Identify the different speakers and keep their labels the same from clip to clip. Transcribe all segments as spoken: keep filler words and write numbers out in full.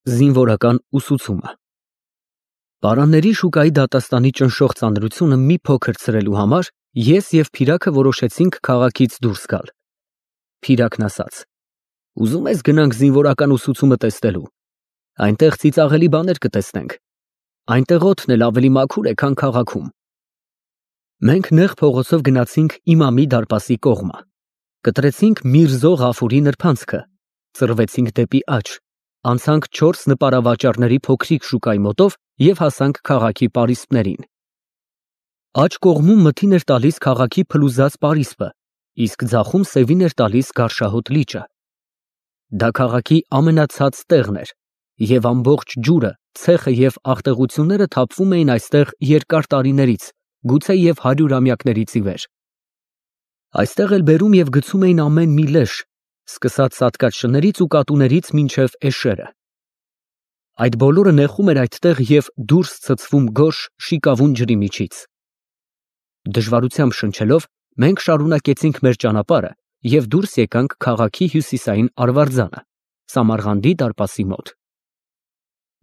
Speaker 1: Զինվորական ուսուցումը Պարանների շուկայի դատաստանի ճնշող ծանրությունը մի փոքր ցրելու համար ես և Փիրագը որոշեցինք քաղաքից դուրս գալ։ Փիրագն ասաց. «Ուզում ես գնանք զինվորական ուսուցումը տեսնելու, այնտեղ ծիծաղելի բաներ կտեսնենք, այնտեղ օդն էլ ավելի մաքուր է, քան քաղաքում»։ Մենք նեղ փողոցով գնացինք Իմամի դարպասի կողմը, կտրեցինք Միրզո Ղաֆուրի նրբանցքը, ծռվեցինք դեպի աջ, անցանք չորս նպարավաճառների փոքրիկ շուկայի մոտով և հասանք քաղաքի պարիսպներին։ Աջ կողմում մթին էր տալիս քաղաքի փլուզած պարիսպը, իսկ ձախում սևին էր տալիս գարշահոտ լիճը։ Դա քաղաքի ամենացած տեղն էր, և ամբողջ ջուրը, ցեխը և աղտեղությունները թափվում էին այստեղ երկար տարիներից, գուցե և հարյուրամյակներից ի վեր։ Այստեղ էլ բերում և գցում էին ամեն մի լեշ, սկսած սատկած շներից ու կատուներից մինչև էշերը։ Այդ բոլորը նեխում էր այդտեղ և դուրս ցցվում գորշ, շիկավուն ջրի միջից։ Դժվարությամբ շնչելով, մենք շարունակեցինք մեր ճանապարհը և դուրս եկանք քաղաքի հյուսիսային արվարձանը, Սամարղանդի դարպասի մոտ։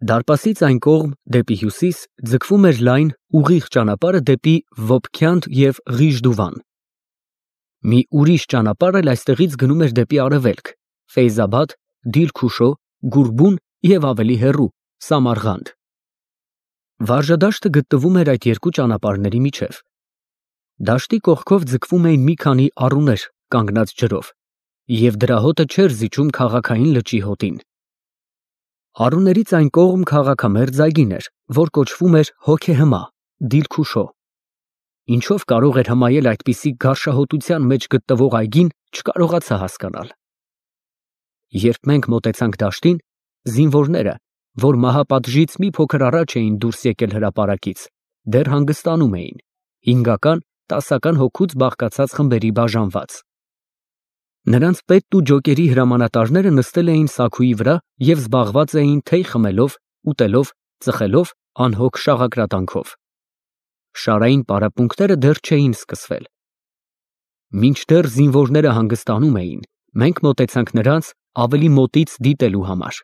Speaker 1: Դարպասից այն կողմ, դեպի հյուսիս, ձգվում էր լայն, ուղիղ ճանապարհը դեպի Վոբքյանդ և Ղիժդուվան։ Մի ուրիշ ճանապարհ էլ այստեղից գնում էր դեպի արևելք, Ֆեյզաբադ, Դիլքուշո, Գուրբուն և ավելի հեռու, Սամարղանդ։ Վարժադաշտը գտնվում էր այդ երկու ճանապարհների միջև։ Դաշտի կողքով ձգվում էին մի քանի առուներ կանգնած ջրով, և դրա հոտը չէր զիջում քաղաքային լճի հոտին։ Առուներից այն կողմ քաղաքամերձ այգին էր, որ կոչվում էր Հոգեհմա, Դիլքուշո։ Ինչով կարող էր հմայել այդպիսի գարշահոտության մեջ գտնվող այգին, չկարողացա հասկանալ։ Երբ մենք մոտեցանք դաշտին, զինվորները, որ մահապատժից մի փոքր առաջ էին դուրս եկել հրապարակից, դեռ հանգստանում էին, հինգական, տասական հոգուց բաղկացած խմբերի բաժանված։ Նրանց պետն ու ջոկերի հրամանատարները նստել էին սաքուի վրա և զբաղված էին թեյ խմելով, ուտելով, ծխելով, անհոգ շաղակրատանքով։ Շարային պարապմունքները դեռ չէին սկսվել։ Մինչդեռ զինվորները հանգստանում էին, մենք մոտեցանք նրանց ավելի մոտից դիտելու համար։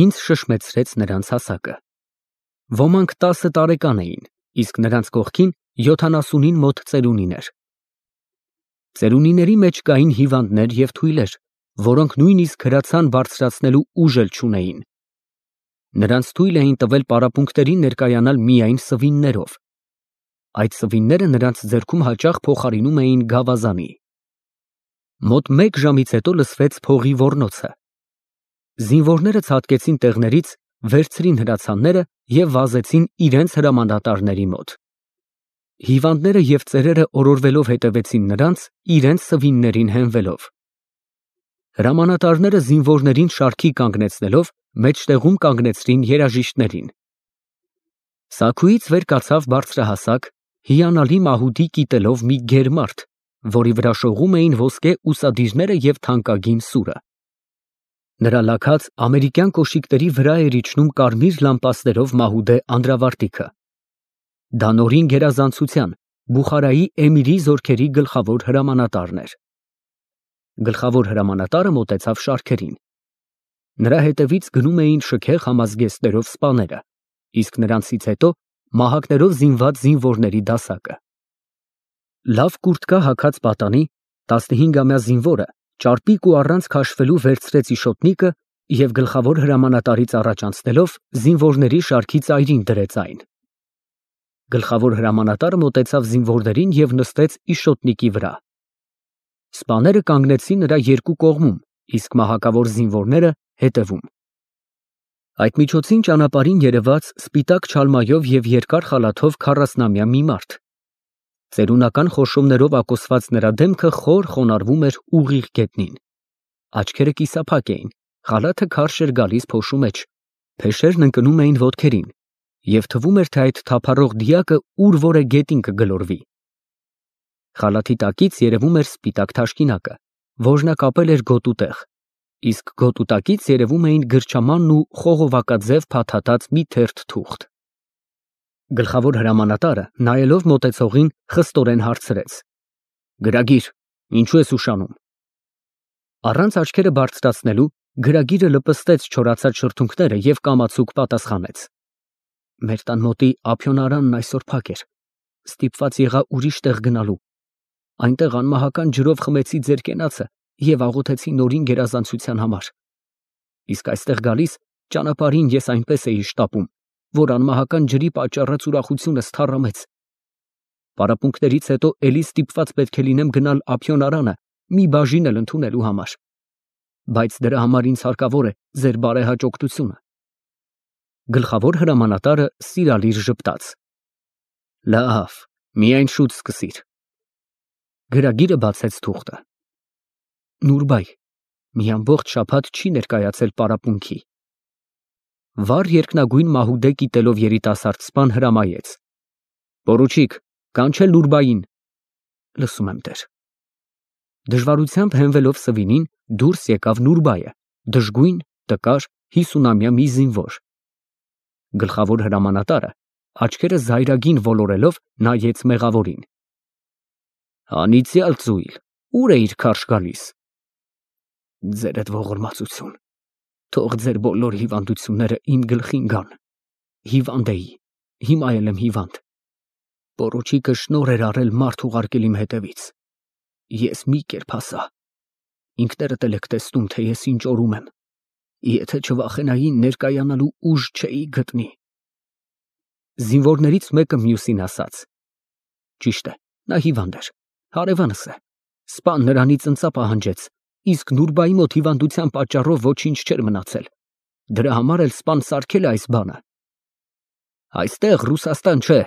Speaker 1: Ինձ շշմեցրեց նրանց հասակը։ Ոմանք տասը տարեկան էին, իսկ նրանց կողքին յոթանասունին մոտ ծերունիներ։ Ծերունիների մեջ կային հիվանդներ և թույլեր, որոնք նույնիսկ հրացան բարձրացնելու ուժ էլ չունեին։ Նրանց թույլ էին տվել պարապմունքներին ներկայանալ միայն սվիններով։ Այդ սվինները նրանց ձեռքում հաճախ փոխարինում էին գավազանի։ Մոտ մեկ ժամից հետո լսվեց փողի ոռնոցը։ Զինվորները ցատկեցին տեղներից, վերցրին հրացանները և վազեցին իրենց հրամանատարների մոտ։ Հիվանդները և ծերերը օրորվելով հետևեցին նրանց, իրենց սվիններին հենվելով։ Հրամանատարները զինվորներին շարքի կանգնեցնելով, մեջտեղում կանգնեցրին երաժիշտներին։ Սաքուից վեր կացավ բարձրահասակ, հիանալի մահուդի կիտելով մի գերմարդ, որի վրա շողում էին ոսկե ուսադիրները և թանկագին սուրը։ Նրա լաքած ամերիկյան կոշիկների վրա էր իջնում կարմիր լամպասներով մահուդե անդրավարտիքը։ Դա նորին գերազանցության, Բուխարայի էմիրի զորքերի գլխավոր հրամանատարն էր։ Գլխավոր հրամանատարը մոտեցավ շարքերին։ Նրա հետևից գնում էին շքեղ համազգեստներով սպաները, իսկ նրանցից հետո մահակներով զինված զինվորների դասակը։ Լավ կուրտկա հագած պատանի, տասնհինգամյա զինվորը ճարպիկ ու առանց քաշվելու վերցրեց իշոտնիկը և գլխավոր հրամանատարից առաջ անցնելով զինվորների շարքի ծայրին դրեց այն։ Գլխավոր հրամանատարը մոտեցավ զինվորներին և նստեց իշոտնիկի վրա։ Սպաները կանգնեցին նրա երկու կողմում, իսկ մահակավոր զինվորները հետևում։ Այդ միջոցին ճանապարհին երևաց սպիտակ չալմայով և երկար խալաթով քառասնամյա մի մարդ։ Ծերունական խորշոմներով ակոսված նրա դեմքը խոր խոնարհվում էր ուղիղ գետնին։ Աչքերը կիսափակ էին, խալաթը քարշ էր գալիս փոշու մեջ, փեշերն ընկնում էին ոտքերին, և թվում էր, թե այդ թափառող դիակը ուր որ է գետին կգլորվի։ Խալաթի տակից երևում էր սպիտակ թաշկինակը, որ նա կապել էր գոտու տեղ, իսկ գոտու տակից երևում էին գրչամանն ու խողովակաձև փաթաթած մի թերթ թուղթ։ Գլխավոր հրամանատարը, նայելով մոտեցողին, խստորեն հարցրեց. «Գրագիր, ինչու ես ուշանում»։ Առանց աչքերը բարձրացնելու Գրագիրը լպստեց չորացած շրթունքները և կամացուկ պատասխանեց. Մեր տան մոտի ափիոնարանն այսօր փակ էր, ստիպված եղա ուրիշ տեղ գնալու, այնտեղ անմահական ջրով խմեցի ձեր կենացը և աղոթեցի նորին գերազանցության համար, իսկ այստեղ գալիս ճանապարհին ես այնպես էի շտապում, որ անմահական ջրի պատճառած ուրախությունս թառամեց, պարապմունքներից հետո էլի ստիպված պետք է լինեմ գնալ ափիոնարանը մի բաժին էլ ընդունելու համար, բայց դրա համար ինձ հարկավոր է ձեր բարեհաճ օգնությունը։ Գլխավոր հրամանատարը սիրալիր ժպտաց. Լավ, միայն շուտ սկսիր։ Գրագիրը բացեց թուղթը։ Նուրբայ, մի ամբողջ շաբաթ չի ներկայացել պարապմունքի։ Վառ երկնագույն մահուդե կիտելով երիտասարդ սպան հրամայեց. Պորուչիկ, կանչել Նուրբային։ Լսում եմ, տեր։ Դժվարությամբ հենվելով սվինին դուրս եկավ Նուրբայը, դժգույն, տկար, հիսունամյա մի զինվոր։ Գլխավոր հրամանատարը աչքերը զայրագին ոլորելով նայեց մեղավորին։ Անիծյալ ծույլ, ուր էիր քարշ գալիս։ Ձերդ ողորմածություն, թող ձեր բոլոր հիվանդությունները իմ գլխին գան։ Հիվանդ էի, հիմա էլ եմ հիվանդ։ Պորուչիկը շնորհ էր արել մարդ ուղարկել իմ հետևից։ Ես մի կերպ հասա։ Ինքներդ էլ եք տեսնում, թե ես ինչ օրում եմ։ Եթե չվախենայի ներկայանալու ուժ չէի գտնի։ Զինվորներից մեկը մյուսին ասաց. Ճիշտ է, նա հիվանդ էր, հարևանս է։ Սպան նրանից ընծա պահանջեց, իսկ Նուրբայի մոտ հիվանդության պատճառով ոչինչ չէր մնացել։ Դրա համար էլ սպան սարքել է այս բանը։ Այստեղ Ռուսաստան չէ,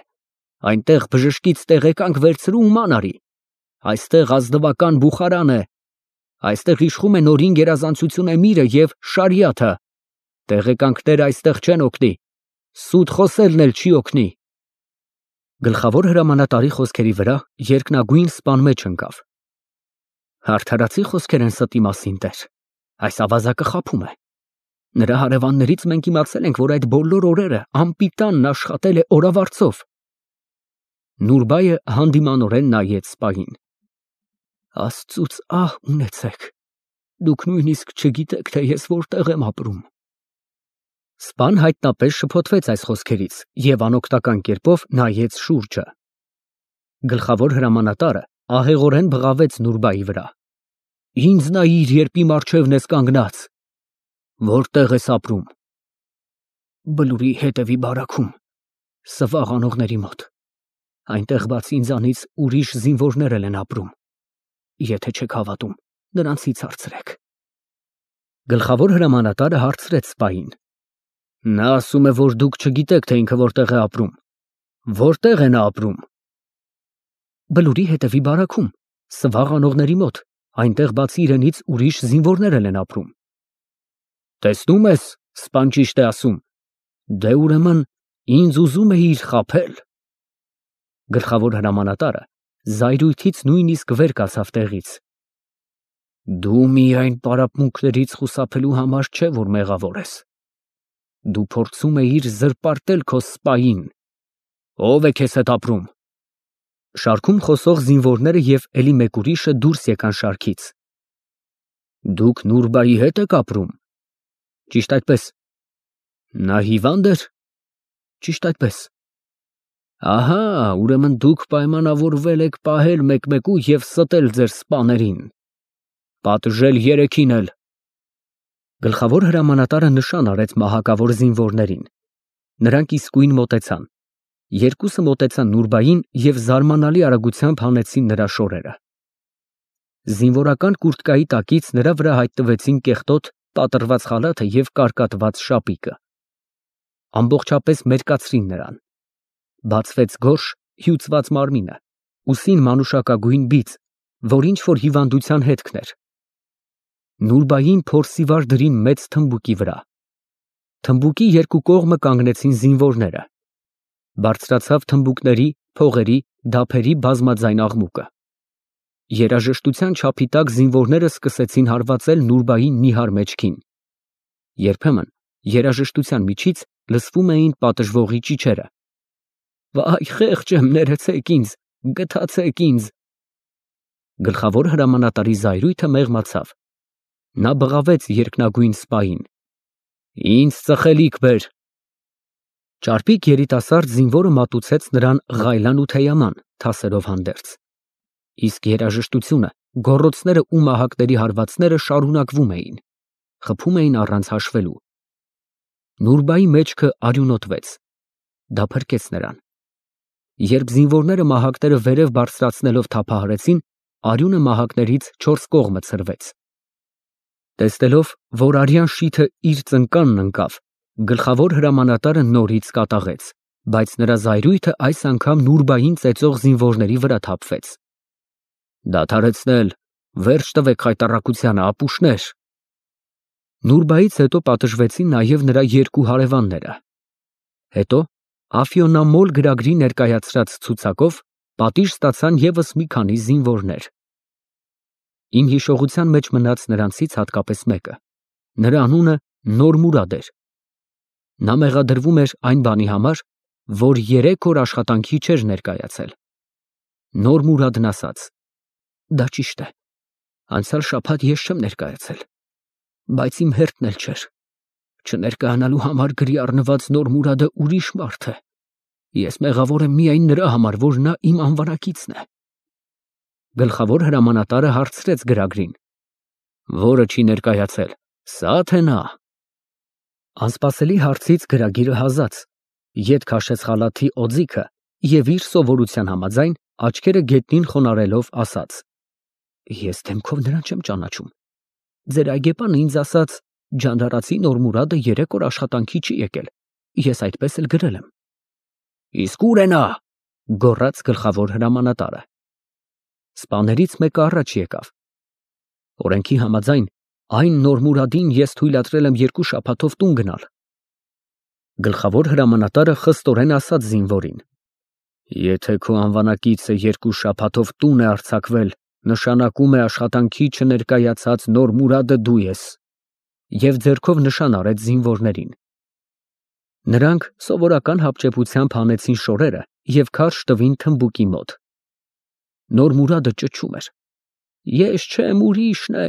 Speaker 1: այնտեղ բժշկից տեղեկանք վերցրու ու ման արի։ Այստեղ ազնվական Բուխարան է։ Այստեղ իշխում է նորին գերազանցություն էմիրը և շարիաթը։ Տեղեկանքները այստեղ չեն օգնի։ Սուտ խոսելն էլ չի օգնի։ Գլխավոր հրամանատարի խոսքերի վրա երկնագույն սպան մեջ ընկավ։ Արդարացի խոսքեր են ստի մասին, տեր։ Այս ավազակը խաբում է։ Նրա հարևաններից մենք իմացել ենք, որ այդ բոլոր օրերը անպիտանն աշխատել է օրավարձով։ Նուրբայը հանդիմանորեն նայեց սպային։ Աստծուց ահ ունեցեք, դուք նույնիսկ չգիտեք, թե ես որտեղ եմ ապրում։ Սպան հայտնապես շփոթվեց այս խոսքերից և անօգնական կերպով նայեց շուրջը։ Գլխավոր հրամանատարը ահեղորեն բղավեց Նուրբայի վրա։ Ինձ նայիր, երբ իմ առջևն ես կանգնած։ Որտեղ ես ապրում։ Բլուրի հետևի բարաքում, Սվաղ անողների մոտ։ Այնտեղ բացի ինձանից ուրիշ զինվորներ են ապրում։ Եթե չեք հավատում, նրանցից հարցրեք։ Գլխավոր հրամանատարը հարցրեց սպային. Նա ասում է, որ դուք չգիտեք, թե ինքը որտեղ է ապրում։ Որտեղ է նա ապրում։ Բլուրի հետևի բարաքում, Սվաղ անողների մոտ, այնտեղ բացի իրենից ուրիշ զինվորներ են ապրում։ Տեսնում ես, սպան ճիշտ է ասում։ Դե ուրեմն ինձ ուզում էիր խաբել։ Գլխավոր հրամանատարը զայրույթից նույնիսկ վեր կացավ տեղից։ Դու միայն պարապմունքներից խուսափելու համար չէ, որ մեղավոր ես։ Դու փորձում էիր զրպարտել քո սպային։ Ո՞վ է քեզ հետ ապրում։ Շարքում խոսող զինվորները և էլի մեկ ուրիշը դուրս եկան շարքից։ Դուք Նուրբայի հետ եք ապրում։ Ճիշտ այդպես։ Նա հիվանդ էր։ Ճիշտ այդպես։ Ահա, ուրեմն դուք պայմանավորվել եք պահել մեկ-մեկու և ստել ձեր սպաներին։ Պատժել երեքին էլ։ Գլխավոր հրամանատարը նշան արեց մահակավոր զինվորներին։ Նրանք իսկույն մոտեցան։ Երկուսը մոտեցան Նուրբային և զարմանալի արագությամբ հանեցին նրա շորերը։ Զինվորական կուրտկայի տակից նրա վրա հայտնվեցին կեղտոտ, պատռված խալաթը և կարկատված շապիկը։ Ամբողջապես մերկացրին նրան։ Բացվեց գորշ, հյուծված մարմինը, ուսին մանուշակագույն բիծ, որ ինչ-որ հիվանդության հետքն էր։ Նուրբային փորսիվար դրին մեծ թմբուկի վրա։ Թմբուկի երկու կողմը կանգնեցին զինվորները։ Բարձրացավ թմբուկների, փողերի, դափերի բազմաձայն աղմուկը։ Երաժշտության չափի տակ զինվորները սկսեցին հարվածել Նուրբային նիհար մեջքին։ Երբեմն երաժշտության միջից լսվում էին պատժվողի ճիչերը։ Վայ, խեղճ եմ, ներեցեք ինձ, գթացեք ինձ։ Գլխավոր հրամանատարի զայրույթը մեղմացավ։ Նա բղավեց երկնագույն սպային. «Ինձ ծխելիք բեր»։ Ճարպիկ երիտասարդ զինվորը մատուցեց նրան ղայլան ու թեյաման, թասերով հանդերձ։ Իսկ երաժշտությունը, գոռոցները ու մահակների հարվածները շարունակվում էին, խփում էին առանց հաշվելու։ Նուրբայի մեջքը արյունոտվեց, դա փրկեց նրան։ Երբ զինվորները մահակները վերև բարձրացնելով թափահարեցին, արյունը մահակներից չորս կողմը ցրվեց։ Տեսնելով, որ արյան շիթը իր ծնկանն ընկավ, գլխավոր հրամանատարը նորից կատաղեց, բայց նրա զայրույթը այս անգամ Նուրբային ծեծող զինվորների վրա թափվեց։ Դադարեցնել, վերջ տվեք խայտառակությանը, ապուշներ։ Նուրբայից հետո պատժվեցին նաև նրա երկու հարևանները։ Հետո Աֆիոնամոլ գրագրի ներկայացրած ցուցակով պատիժ ստացան ևս մի քանի զինվորներ։ Իմ հիշողության մեջ մնաց նրանցից հատկապես մեկը, նրա անունը Նորմուրադ էր։ Նա մեղադրվում էր այն բանի համար, որ երեք օր աշխատանքի չէր ներկայացել։ Նորմուրադն ասաց. «Դա ճիշտ է, անցյալ շաբաթ ես չեմ ներկայացել, բայց իմ հերթն էլ չէր։ Չներկայանալու համար գրի առնված Նորմուրադը ուրիշ մարդ է։ Ես մեղավոր եմ միայն նրա համար, որ նա իմ անվանակիցն է»։ Գլխավոր հրամանատարը հարցրեց գրագրին. «Որը չի ներկայացել, սա թե նա»։ Անսպասելի հարցից գրագիրը հազաց, ետ քաշեց խալաթի օձիքը և իր սովորության համաձայն աչքերը գետնին խոնարհելով ասաց. «Ես դեմքով նրան չեմ ճանաչում։ Ձեր այգեպանը ինձ ասաց. ջանդարացի Նորմուրադը երեք օր աշխատանքի չի եկել, ես այդպես էլ գրել եմ»։ «Իսկ ո՞ւր է նա», գոռաց գլխավոր հրամանատարը։ Սպաներից մեկը առաջ եկավ։ Օրենքի համաձայն այն Նորմուրադին ես թույլատրել եմ երկու շաբաթով տուն գնալ։ Գլխավոր հրամանատարը խստորեն ասաց զինվորին. «Եթե քո անվանակիցը երկու շաբաթով տուն է արձակվել, նշանակում է աշխատանքի չներկայացած Նորմուրադը դու ես», և ձեռքով նշան արեց զինվորներին։ Նրանք սովորական հապճեպությամբ հանեցին շորերը և քարշ տվին թմբուկի մոտ։ Նորմուրադը ճչում էր. «Ես չեմ, ուրիշն է,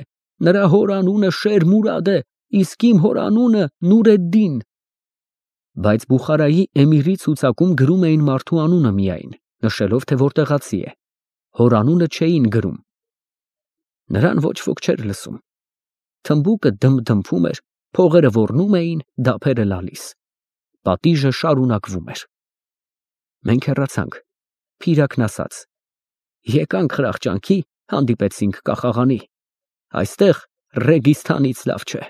Speaker 1: նրա հոր անունը Շերմուրադ է, իսկ իմ հոր անունը Նուրեդդին»։ Բայց Բուխարայի էմիրի ցուցակում գրում էին մարդու անունը միայն, նշելով, թե որտեղացի է, հոր անունը չէին գրում։ Նրան ոչ ոք չէր լսում։ Թմբուկը դմփդմփում էր, փողերը ոռնում էին, դափերը լալիս։ Պատիժը շարունակվում էր։ Մենք հեռացանք։ Փիրակն ասաց. «Եկանք խրախճանքի, հանդիպեցինք կախաղանի։ Այստեղ Ռեգիստանից լավ չէ»։